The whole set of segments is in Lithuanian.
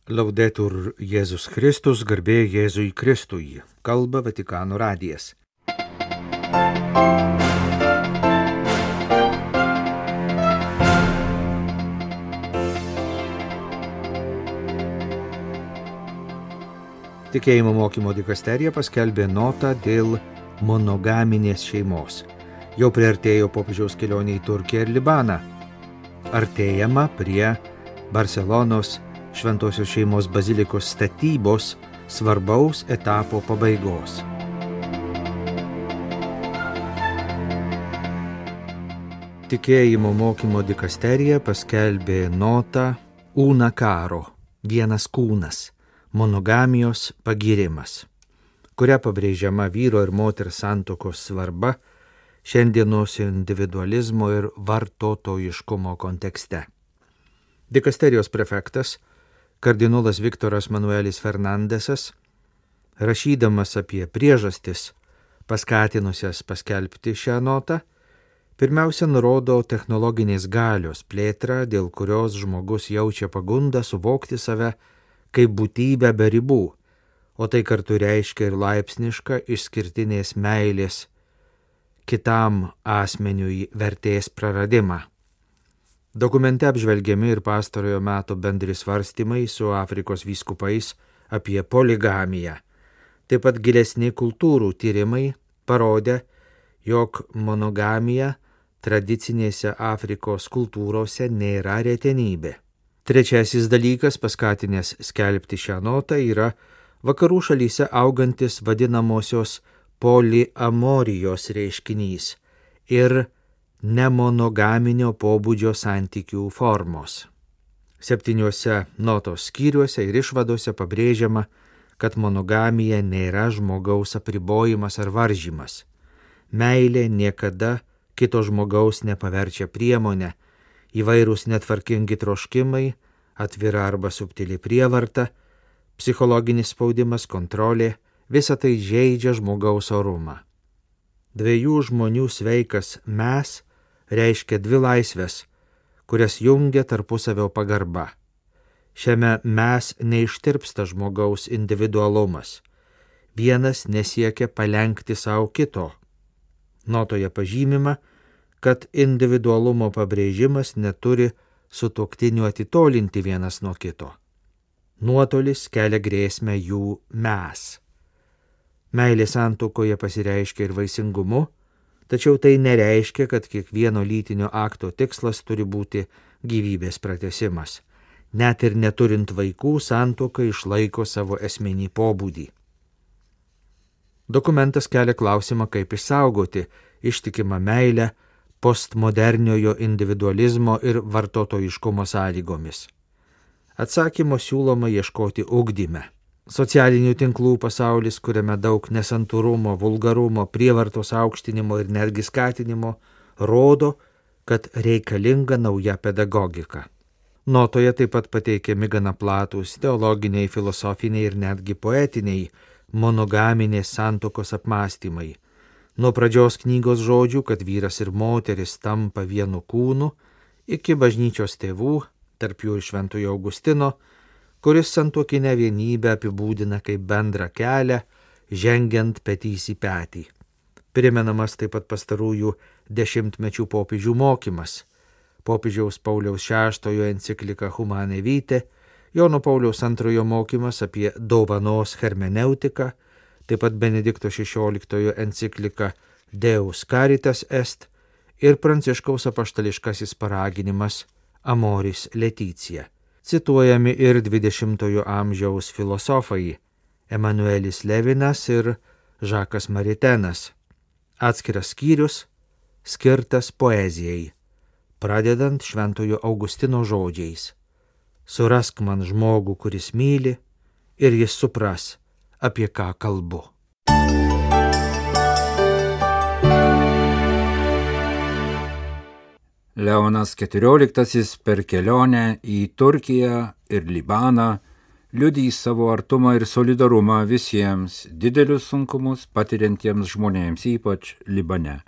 Laudetur Jėzus Kristus, garbė Jėzui Kristui, kalba Vatikano radijas. Tikėjimo mokymo dikasterija paskelbė notą dėl monogaminės šeimos. Jau priartėjo popiežiaus kelionė į Turkiją ir Libaną. Artėjama prie Barselonos Šventosios šeimos bazilikos statybos svarbaus etapo pabaigos. Tikėjimo mokymo dikasterija paskelbė notą Una Caro, vienas kūnas, monogamijos pagyrimas, kuria pabrėžiama vyro ir moters santuokos svarba šiandienos individualizmo ir vartotojiškumo kontekste. Dikasterijos prefektas kardinolas Viktoras Manuelis Fernandesas, rašydamas apie priežastis paskatinusias paskelbti šią notą, pirmiausia nurodo technologinės galios plėtrą, dėl kurios žmogus jaučia pagundą suvokti save kaip būtybę be ribų, o tai kartu reiškia ir laipsnišką išskirtinės meilės kitam asmeniui vertės praradimą. Dokumente apžvelgiami ir pastarojo meto bendri svarstymai su Afrikos vyskupais apie poligamiją. Taip pat gilesni kultūrų tyrimai parodė, jog monogamija tradicinėse Afrikos kultūrose nėra retenybė. Trečiasis dalykas, paskatinęs skelbti šią notą, yra vakarų šalyse augantis vadinamosios poliamorijos reiškinys ir nemonogaminio pobūdžio santykių formos. 7 notos skyriuose ir išvadose pabrėžiama, kad monogamija nėra žmogaus apribojimas ar varžymas. Meilė niekada kito žmogaus nepaverčia priemonę, įvairūs netvarkingi troškimai, atvira arba subtili prievarta, psichologinis spaudimas, kontrolė, visa tai žeidžia žmogaus orumą. Dviejų žmonių sveikas mes reiškia dvi laisvės, kurias jungia tarpusavio pagarba. Šiame mes neištirpsta žmogaus individualumas. Vienas nesiekia palenkti savo kito. Notoje pažymima, kad individualumo pabrėžimas neturi sutuoktinių atitolinti vienas nuo kito. Nuotolis kelia grėsmę jų mes. Meilė santuokoje pasireiškia ir vaisingumu, tačiau tai nereiškia, kad kiekvieno lytinio akto tikslas turi būti gyvybės pratęsimas. Net ir neturint vaikų, santuoka išlaiko savo esminį pobūdį. Dokumentas kelia klausimą, kaip išsaugoti ištikimą meilę postmoderniojo individualizmo ir vartotojiškumo sąlygomis. Atsakymo siūloma ieškoti ugdyme. Socialinių tinklų pasaulis, kuriame daug nesantūrumo, vulgarumo, prievartos aukštinimo ir netgi skatinimo, rodo, kad reikalinga nauja pedagogika. Notoje taip pat pateikiami gana platūs teologiniai, filosofiniai ir netgi poetiniai monogaminės santuokos apmąstymai. Nuo pradžios knygos žodžių, kad vyras ir moteris tampa vienu kūnu, iki bažnyčios tėvų, tarp jų ir Šventojo Augustino, kuris santuokinę vienybę apibūdina kaip bendrą kelią, žengiant petys į petį. Primenamas taip pat pastarųjų dešimtmečių popiežių mokymas. Popiežiaus Pauliaus VI enciklika Humane Vitae, Jono Pauliaus II mokymas apie dovanos hermeneutiką, taip pat Benedikto XVI enciklika Deus Caritas Est ir Pranciškaus apaštališkasis paraginimas Amoris Laetitia. Cituojami ir 20-ojo amžiaus filosofai Emanuelis Levinas ir Žakas Maritenas. Atskiras skyrius skirtas poezijai, pradedant Šventojo Augustino žodžiais: Surask man žmogų, kuris myli, ir jis supras, apie ką kalbu. Leonas XIV per kelionę į Turkiją ir Libaną liudys savo artumą ir solidarumą visiems didelius sunkumus patiriantiems žmonėms, ypač Libane.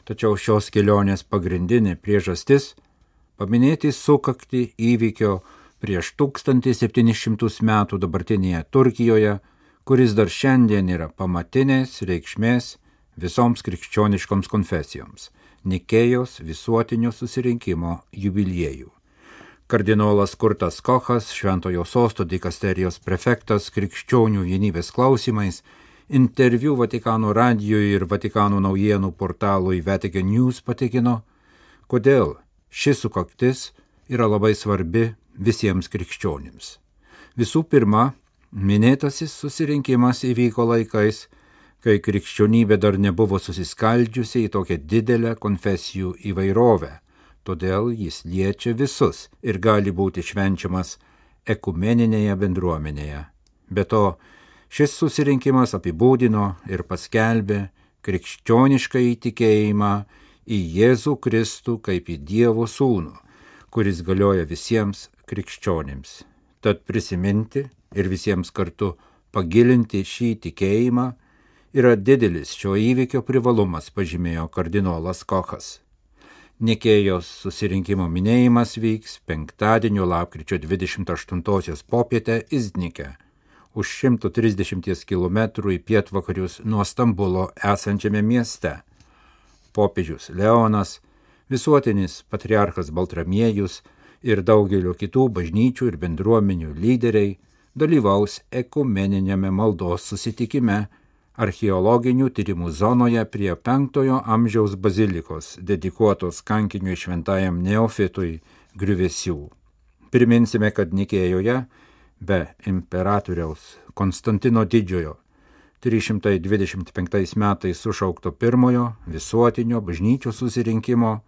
Tačiau šios kelionės pagrindinė priežastis – paminėti sukaktį įvykio prieš 1700 metų dabartinėje Turkijoje, kuris dar šiandien yra pamatinės reikšmės visoms krikščioniškoms konfesijoms – Nikėjos visuotinio susirinkimo jubiliejų. Kardinolas Kurtas Kochas, Šventojo Sosto dikasterijos prefektas krikščionių vienybės klausimais, interviu Vatikano radijui ir Vatikano naujienų portalui Vatican News patikino, kodėl ši sukaktis yra labai svarbi visiems krikščionims. Visų pirma, minėtasis susirinkimas įvyko laikais, kai krikščionybė dar nebuvo susiskaldžiusi į tokią didelę konfesijų įvairovę, todėl jis liečia visus ir gali būti švenčiamas ekumeninėje bendruomenėje. Be to, šis susirinkimas apibūdino ir paskelbė krikščionišką įtikėjimą į Jėzų Kristų kaip į Dievo sūnų, kuris galioja visiems krikščionims. Tad prisiminti ir visiems kartu pagilinti šį tikėjimą yra didelis šio įvykio privalumas, pažymėjo kardinolas Kochas. Nikėjos susirinkimo minėjimas vyks penktadienio lapkričio 28 popietę Iznike, už 130 km į pietvakarius nuo Stambulo esančiame mieste. Popiežius Leonas, visuotinis patriarchas Baltramiejus ir daugelio kitų bažnyčių ir bendruomenių lyderiai dalyvaus ekumeniniame maldos susitikime archeologinių tyrimų zonoje prie 5 amžiaus bazilikos, dedikuotos kankiniui šventajam Neofitui griuvesių. Priminsime, kad Nikėjoje be imperatoriaus Konstantino Didžiojo 325 metais sušaukto pirmojo visuotinio bažnyčios susirinkimo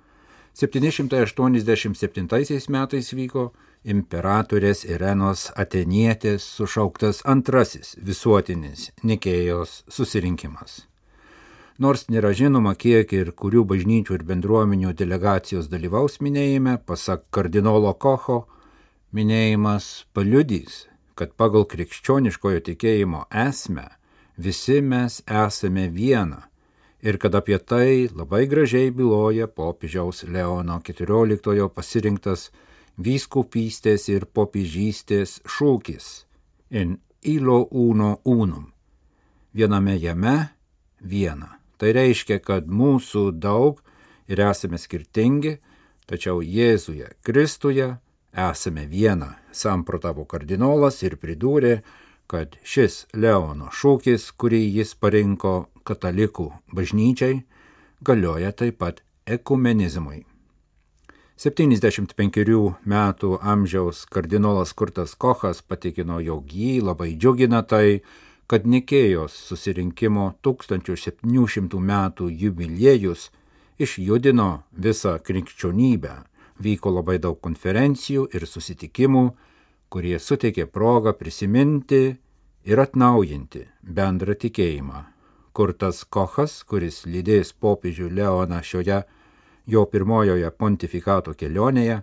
787 metais vyko imperatorės Irenos Atenietės sušauktas antrasis visuotinis Nikėjos susirinkimas. Nors nėra žinoma, kiek ir kurių bažnyčių ir bendruomenių delegacijos dalyvaus minėjime, pasak kardinolo Kocho, minėjimas paliudys, kad pagal krikščioniškojo tikėjimo esmę visi mes esame viena ir kad apie tai labai gražiai byloja popiežiaus Leono XIV pasirinktas vyskupystės ir popiežystės šūkis in illo uno unum. Viename jame viena. Tai reiškia, kad mūsų daug ir esame skirtingi, tačiau Jėzuje Kristuje esame viena, samprotavo kardinolas ir pridūrė, kad šis Leono šūkis, kurį jis parinko katalikų bažnyčiai, galioja taip pat ekumenizmui. 75 metų amžiaus kardinolas Kurtas Kochas patikino, jog jį labai džiugina tai, kad Nikėjos susirinkimo 1700 metų jubiliejus išjudino visą krikščionybę. Vyko labai daug konferencijų ir susitikimų, kurie suteikė progą prisiminti ir atnaujinti bendrą tikėjimą. Kurtas Kochas, kuris lydės popiežių Leoną šioje jo pirmojoje pontifikato kelionėje,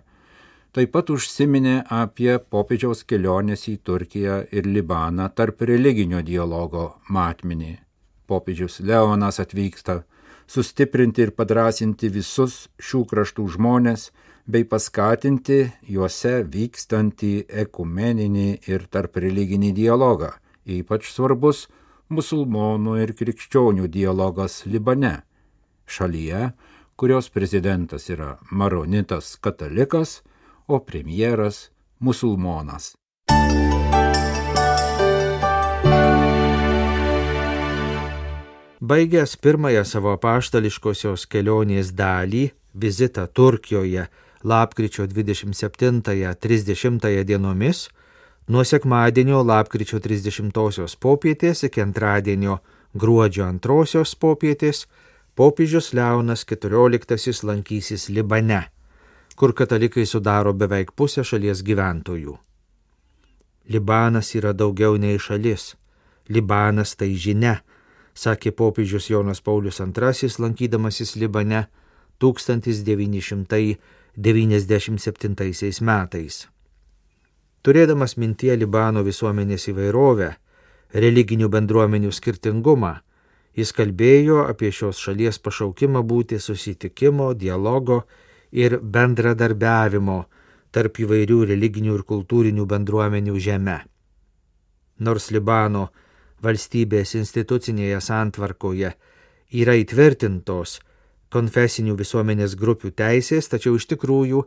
taip pat užsiminė apie popiežiaus kelionės į Turkiją ir Libaną tarp religinio dialogo matmenį. Popiežius Leonas atvyksta sustiprinti ir padrąsinti visus šių kraštų žmonės bei paskatinti juose vykstantį ekumeninį ir tarp religinį dialogą. Ypač svarbus musulmonų ir krikščionių dialogas Libane, šalyje, kurios prezidentas yra maronitas katalikas, o premjeras musulmonas. Baigęs pirmąją savo apaštališkosios kelionės dalį, vizitą Turkijoje lapkričio 27-30 dienomis, nuo sekmadienio lapkričio 30 popietės iki antradienio gruodžio 2 popietės, popiežius Leonas XIV lankysis Libane, kur katalikai sudaro beveik pusę šalies gyventojų. Libanas yra daugiau nei šalis. Libanas tai žinia, sakė popiežius Jonas Paulius II, lankydamasis Libane 1997 metais. Turėdamas mintyje Libano visuomenės įvairovę, religinių bendruomenių skirtingumą, jis kalbėjo apie šios šalies pašaukimą būti susitikimo, dialogo ir bendradarbiavimo tarp įvairių religinių ir kultūrinių bendruomenių žeme. Nors Libano valstybės institucinėje santvarkoje yra įtvirtintos konfesinių visuomenės grupių teisės, tačiau iš tikrųjų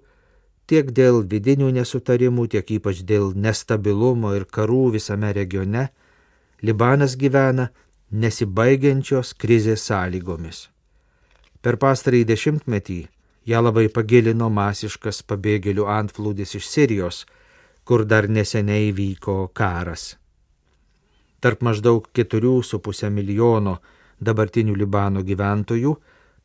tiek dėl vidinių nesutarimų, tiek ypač dėl nestabilumo ir karų visame regione, Libanas gyvena nesibaigiančios krizės sąlygomis. Per pastarąjį dešimtmetį ją labai pagilino masiškas pabėgėlių antplūdis iš Sirijos, kur dar neseniai vyko karas. Tarp maždaug 4,5 milijono dabartinių Libano gyventojų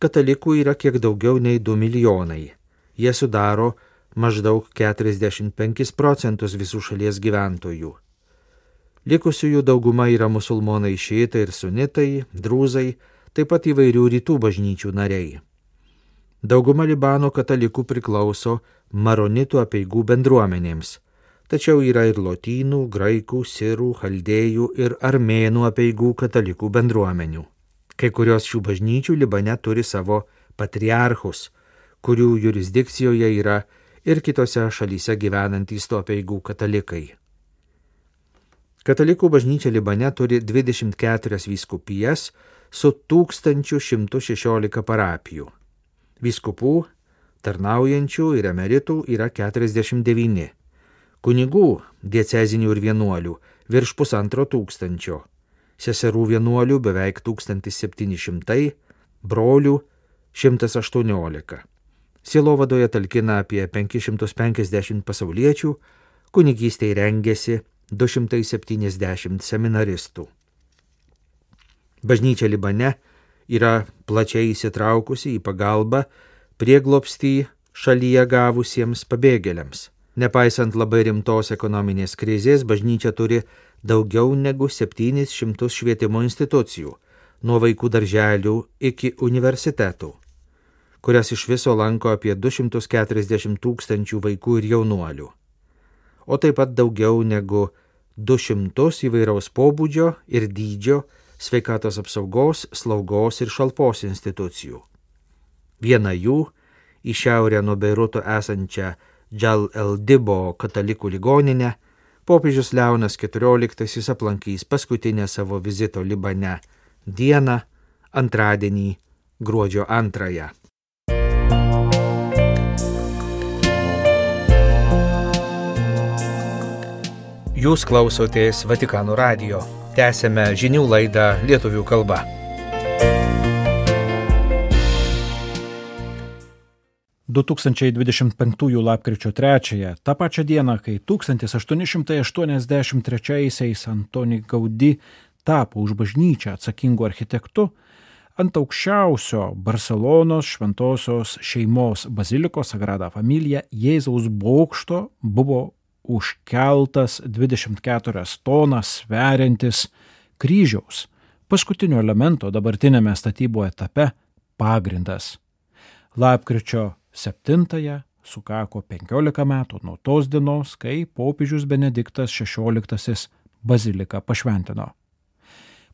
katalikų yra kiek daugiau nei 2 milijonai. Jie sudaro maždaug 45% visų šalies gyventojų. Likusiųjų dauguma yra musulmonai šiitai ir sunitai, drūzai, taip pat įvairių rytų bažnyčių nariai. Dauguma Libano katalikų priklauso maronitų apeigų bendruomenėms, tačiau yra ir lotynų, graikų, sirų, chaldėjų ir armėnų apeigų katalikų bendruomenių. Kai kurios šių bažnyčių Libane turi savo patriarchus, kurių jurisdikcijoje yra ir kitose šalyse gyvenantys to apeigų katalikai. Katalikų bažnyčia Libane turi 24 vyskupijas su 1116 parapijų. Vyskupų, tarnaujančių ir emeritų yra 49. Kunigų, diecezinių ir vienuolių virš 1500. Seserų vienuolių beveik 1700, brolių 118. Sielovadoje talkina apie 550 pasauliečių, kunigystei rengiasi 270 seminaristų. Bažnyčia Libane yra plačiai įsitraukusi į pagalbą prieglobstį šalyje gavusiems pabėgėliams. Nepaisant labai rimtos ekonominės krizės, bažnyčia turi daugiau negu 700 švietimo institucijų, nuo vaikų darželių iki universitetų, kurias iš viso lanko apie 240 000 vaikų ir jaunuolių, o taip pat daugiau negu 200 įvairaus pobūdžio ir dydžio sveikatos apsaugos, slaugos ir šalpos institucijų. Viena jų, į šiaurę nuo Beiruto esančią Džal el-Dibo katalikų ligoninę, popiežius Leonas XIV aplankys paskutinę savo vizito Libane dieną, antradienį, gruodžio 2. Jūs klausotės Vatikano radijo. Tęsėme žinių laidą lietuvių kalba. – 2025 lapkričio 3, tą pačią dieną, kai 1883-aisiais Antoni Gaudí tapo už bažnyčią atsakingu architektu, ant aukščiausio Barselonos šventosios šeimos bazilikos Sagrada Familia Jėzaus bokšto buvo užkeltas 24 tonas sveriantis kryžiaus, paskutinio elemento dabartinėme statybų etape pagrindas. Lapkričio 7 sukako 15 metų nuo tos dienos, kai popiežius Benediktas XVI baziliką pašventino.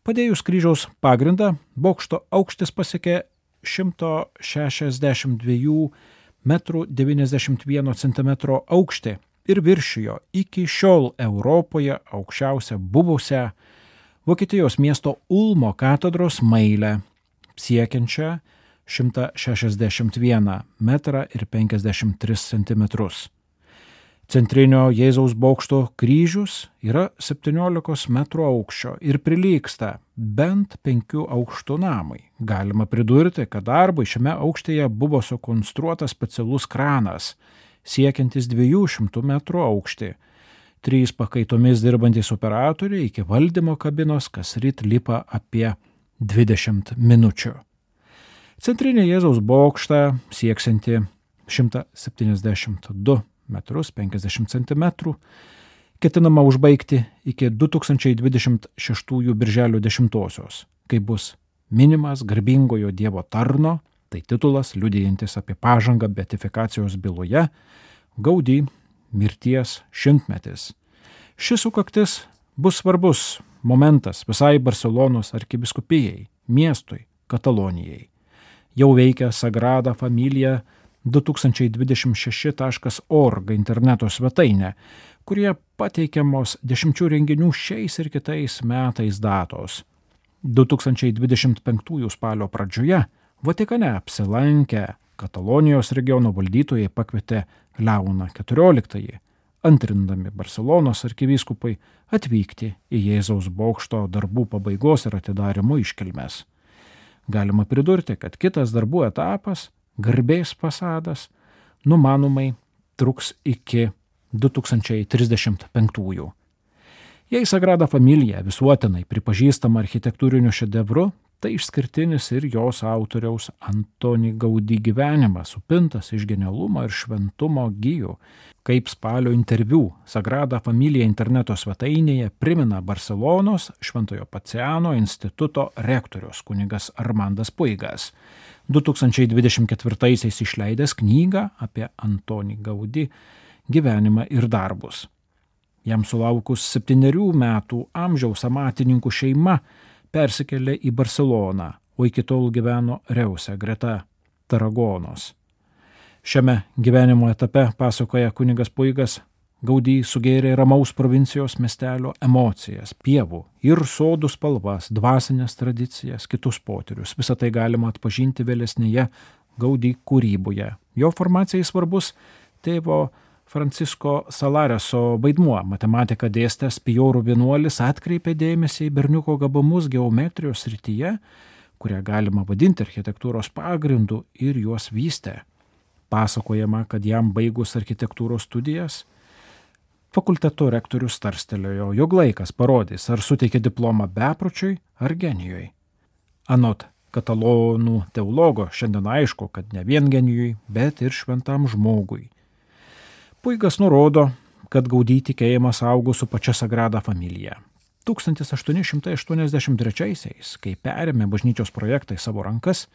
Padėjus kryžiaus pagrindą, bokšto aukštis pasiekė 162 m 91 cm aukštį ir viršijo iki šiol Europoje aukščiausią buvusią Vokietijos miesto Ulmo katedros mailę, siekiančią 161 m ir 53 cm. Centrinio Jėzaus bokšto kryžius yra 17 m aukščio ir prilygsta bent 5 aukštų namui. Galima pridurti, kad darbui šiame aukštyje buvo sukonstruotas specialus kranas, siekiantis 200 m aukštį. 3 pakaitomis dirbantys operatoriai iki valdymo kabinos kasryt lipa apie 20 minučių. Centrinė Jėzaus bokštą sieksianti 172 m 50 cm ketinama užbaigti iki 2026 birželio 10, kai bus minimas garbingojo Dievo tarno, tai titulas liudijantis apie pažangą beatifikacijos byloje, Gaudí mirties 100-metis. Šis sukaktis bus svarbus momentas visai Barselonos arkivyskupijai, miestui, Katalonijai. Jau veikia Sagrada Familia 2026.org interneto svetainę, kurie pateikiamos 10 renginių šiais ir kitais metais datos. 2025 spalio pradžioje Vatikane apsilankę Katalonijos regiono valdytojai pakvietė Leoną XIV, antrindami Barselonos arkivyskupai, atvykti į Jėzaus bokšto darbų pabaigos ir atidarymo iškilmes. Galima pridurti, kad kitas darbų etapas, garbės fasadas, numanomai truks iki 2035. Jei Sagrada Familija visuotinai pripažįstama architektūriniu šedevru, tai išskirtinis ir jos autoriaus Antoni Gaudí gyvenimas, supintas iš genialumo ir šventumo gijų. Kaip spalio interviu Sagrada Familija interneto svetainėje primena Barselonos Šventojo Paciano instituto rektorius kunigas Armandas Puigas, 2024 išleidęs knygą apie Antonį Gaudí gyvenimą ir darbus. Jam sulaukus 7 metų amžiaus amatininkų šeima persikėlė į Barseloną, o iki tol gyveno Reuse greta Taragonos. Šiame gyvenimo etape, pasakoja kunigas Puigas, Gaudí sugėrė ramaus provincijos miestelio emocijas, pievų ir sodų spalvas, dvasinės tradicijas, kitus potyrius. Visą tai galima atpažinti vėlesnėje Gaudí kūryboje. Jo formacijai svarbus tėvo Francisko Salareso vaidmuo. Matematiką dėstęs Pijorų vienuolis atkreipė dėmesį į berniuko gabumus geometrijos srityje, kurią galima vadinti architektūros pagrindu, ir juos vystė. Pasakojama, kad jam baigus architektūros studijas, fakulteto rektorius tarstelėjo, jog laikas parodys, ar suteikė diplomą bepročiui ar genijui. Anot katalonų teologo šiandien aišku, kad ne vien genijui, bet ir šventam žmogui. Puigas nurodo, kad Gaudí tikėjimas augo su pačia Sagrada Familija. 1883-aisiais, kai perėmė bažnyčios projektą į savo rankas,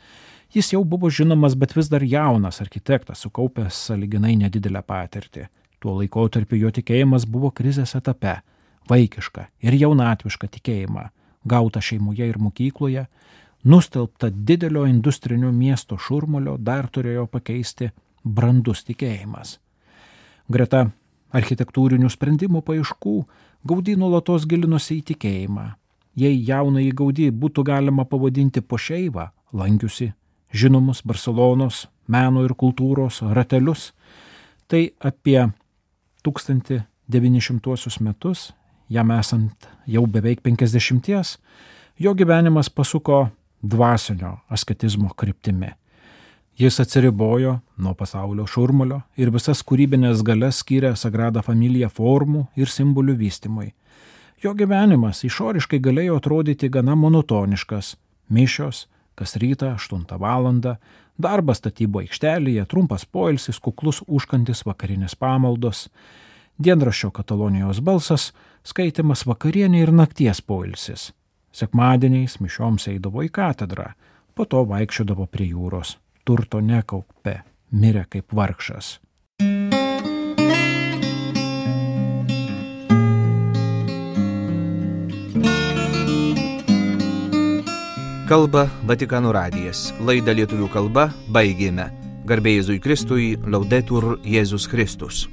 jis jau buvo žinomas, bet vis dar jaunas architektas, sukaupęs sąlyginai nedidelę patirtį. Tuo laikotarpiu jo tikėjimas buvo krizės etape, vaikiška ir jaunatviška tikėjimą, gauta šeimoje ir mokykloje, nustelbta didelio industrinio miesto šurmulio dar turėjo pakeisti brandus tikėjimas. Greta architektūrinių sprendimų paieškų Gaudí nuolatos gilinosi į tikėjimą. Jei jaunąjį Gaudí būtų galima pavadinti po šeivą, lankiusi žinomus Barselonos meno ir kultūros ratelius, tai apie 1900 metus, jam esant jau beveik 50, jo gyvenimas pasuko dvasinio asketizmo kryptimi. Jis atsiribojo nuo pasaulio šurmulio ir visas kūrybinės galias skyrė Sagrada Familija formų ir simbolių vystymui. Jo gyvenimas išoriškai galėjo atrodyti gana monotoniškas. Mišios, kas rytą 8 valandą, darbas statybų aikštelėje, trumpas poilsis, kuklus užkandis, vakarinės pamaldos, dienraščio Katalonijos balsas, skaitimas vakarienė ir nakties poilsis. Sekmadieniais mišioms eidavo į katedrą, po to vaikščiodavo prie jūros. Turto nekaupė, mirė kaip vargšas. Kalba Vatikano radijas. Laidą lietuvių kalba baigėme. Garbė Jėzui Kristui, Laudetur Jėzus Kristus.